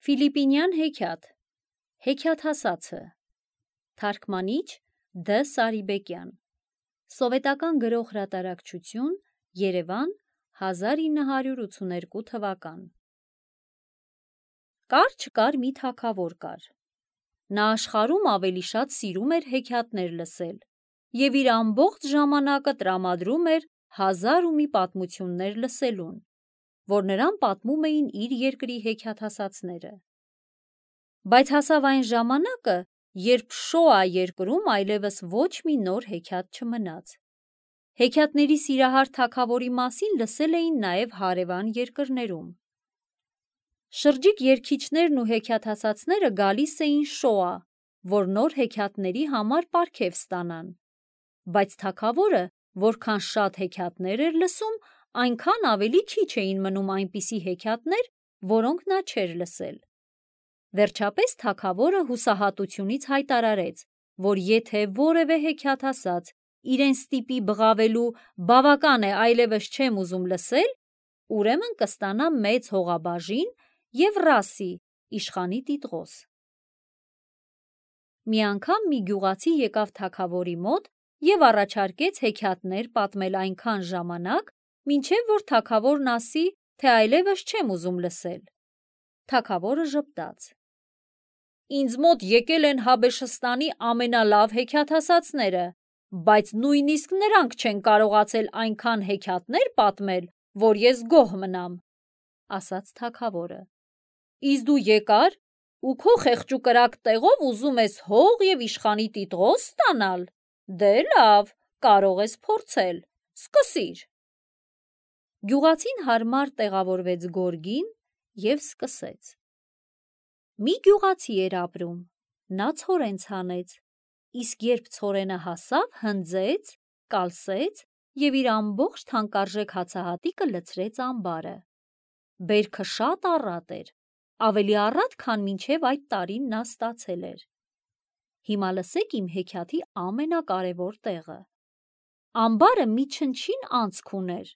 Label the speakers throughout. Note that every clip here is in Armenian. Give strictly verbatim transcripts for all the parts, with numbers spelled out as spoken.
Speaker 1: Ֆիլիպինյան հեքիաթ, հեքիաթասացը, թարգմանիչ Դ. Սարիբեկյան, սովետական գրող հրատարակչություն, Երևան, հազար ինը հարյուր ութսուներկու թվական։ Կար չկար մի թագավոր կար։ Նա աշխարհում ավելի շատ սիրում էր հեքիաթներ լսել և իր ամբողջ ժամանակը տրամադրում էր հազար ու մի պատմություններ լսելուն, որ նրան պատմում էին իր երկրի հեքիաթասացները։ Բայց հասավ այն ժամանակը, երբ Շոա երկրում այլևս ոչ մի նոր հեքիաթ չմնաց։ Հեքիաթների սիրահար թագավորի մասին լսել էին նաև հարևան երկրներում։ Շրջիկ երգիչներն ու հեքիաթասացները գալիս էին Շոա, որ նոր հեքիաթների համար պարգև ստանան, բայց թագավորը որքան շատ հեքիաթներ էր լսում, այնքան ավելի քիչ էին մնում այնպիսի հեքիաթներ, որոնք նա չէր լսել։ Վերջապես թագավորը հուսահատությունից հայտարարեց, որ եթե որևէ հեքիաթասաց իրեն ստիպի բղավելու բավական է, այլևս չեմ ուզում լսել, ուրեմն կստանա մեծ հողաբաժին և ռասի իշխանի տիտղոս։ Մի անգամ մի գյուղացի եկավ թագավորի մոտ և առաջարկեց հեքիաթներ պատմել այնքան ժամանակ, մինչև որ թագավորն ասի, թե այլևս չեմ ուզում լսել։ Թագավորը ժպտաց. Ինձ մոտ եկել են Հաբեշստանի ամենալավ հեքիաթասացները, բայց նույնիսկ նրանք չեն կարողացել այնքան հեքիաթներ պատմել, որ ես գոհ մնամ, ասաց թագավորը։ Իսկ դու եկար ու քո խեղճուկրակ տեղով ուզում ես հող և իշխանի տիտղոս ստանալ, դե լավ, կարող ես փորձել, սկսիր։ Գյուղացին հարմար տեղավորվեց գորգին և սկսեց։ Մի գյուղացի էր ապրում, նա ցորեն ցանեց, իսկ երբ ցորենը հասավ, հնձեց, կալսեց և իր ամբողջ թանկարժեք հացահատիկը լցրեց ամբարը։ Բերքը շատ առատ էր, ավելի առատ, քան մինչև այդ տարին նա ստացել էր։ Հիմա լսեք իմ հեքիաթի ամենակարևոր տեղը։ Ամբարը մի չնչին անցք ուներ,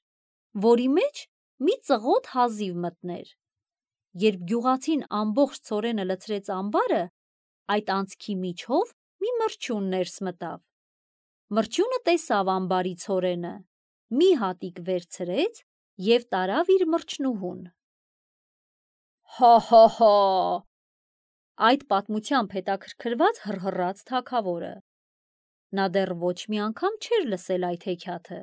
Speaker 1: որի մեջ մի ծղոտ հազիվ մտներ։ Երբ գյուղացին ամբողջ ցորենը լցրեց ամբարը, այդ անցքի միջով մի մրջյուն ներս մտավ։ Մրջյունը տեսավ ամբարի ցորենը, մի հատիկ վերցրեց և տարավ իր մրջնուհուն։ Հա՛֊հա՛֊հա՛, այդ պատմությամբ հետաքրքրված հռհռաց թագավորը։ Նա դեռ ոչ մի անգամ չէր լսել այդ հեքիաթը։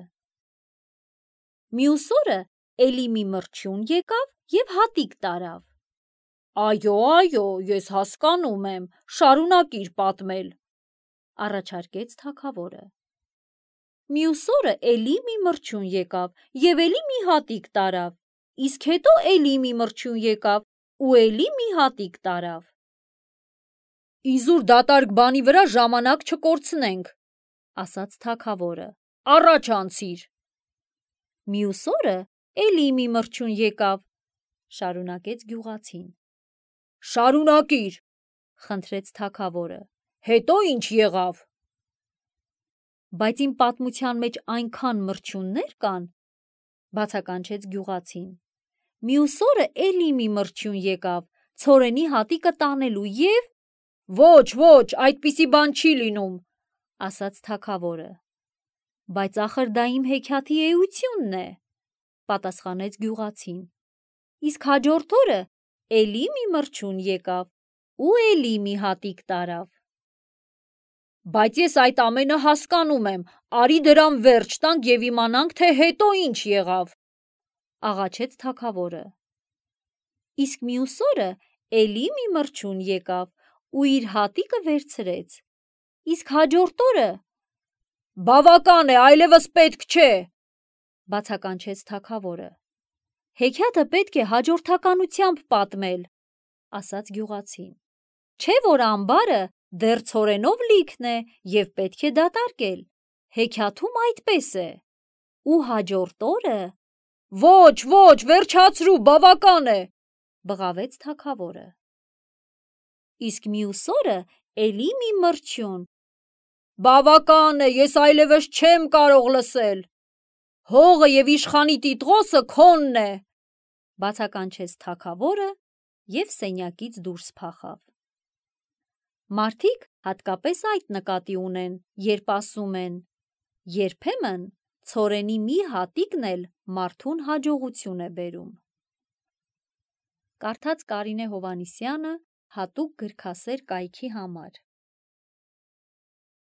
Speaker 1: Մյուս օրը էլի մի մրջյուն եկավ և հատիկ տարավ։ Այո, այո, ես հասկանում եմ, շարունակիր պատմել, առաջարկեց թագավորը։ Մյուս օրը էլի մի մրջյուն եկավ և էլի մի հատիկ տարավ, իսկ հետո էլի մի մրջյուն եկավ ու էլի մի հատիկ տարավ։ Իզուր դատարկ բանի վրա ժամանակ չկորցնենք, ասաց թագավորը, առաջ անցիր։ Մյուս օրը էլի մի մրջյուն եկավ, շարունակեց գյուղացին։ Շարունակիր, խնդրեց թագավորը, հետո ինչ եղավ։ Բայց իմ պատմության մեջ այնքան մրջյուններ կան, բացականչեց գյուղացին։ Մյուս օրը էլի մի մրջյուն եկավ, ցորենի հատիկը տանելու և… Ոչ, ոչ, այդպիսի բան չի լինում, ասաց թագավորը։ Բայց ախր դա իմ հեքիաթի էությունն է, պատասխանեց գյուղացին։ Իսկ հաջորդ օրը էլի մի մրջյուն եկավ ու էլի մի հատիկ տարավ։ Բայց ես այդ ամենը հասկանում եմ, արի դրան վերջ տանք և իմանանք, թե հետո ինչ եղավ, աղաչեց թագավորը։ Իսկ մյուս օրը էլի մի մրջյուն եկավ ու իր հատիկը վերցրեց։ Իսկ հաջորդ օրը… Բավական է, այլևս պետք չէ, բացականչեց թագավորը։ Հեքիաթը պետք է հաջորդականությամբ պատմել, ասաց գյուղացին։ Չէ՞ որ ամբարը դեռ ցորենով լիքն է և պետք է դատարկել, հեքիաթում այդպես է։ Ու հաջորդ օրը… Ոչ, ոչ, վերջացրու, բավական է, բղավեց թագավորը։ Իսկ մյուս օրը էլի մի մրջյուն… Բավական է, ես այլևս չեմ կարող լսել։ Հողը և իշխանի տիտղոսը քոնն է, բացականչեց թագավորը և սենյակից դուրս փախավ։ Մարդիկ հատկապես այդ նկատի ունեն, երբ ասում են. երբեմն ցորենի մի հատիկն էլ մարդուն հաջողություն է բերում։ Կարդաց Կարինե Հովհաննիսյանը հատուկ գրքասեր կայքի համար։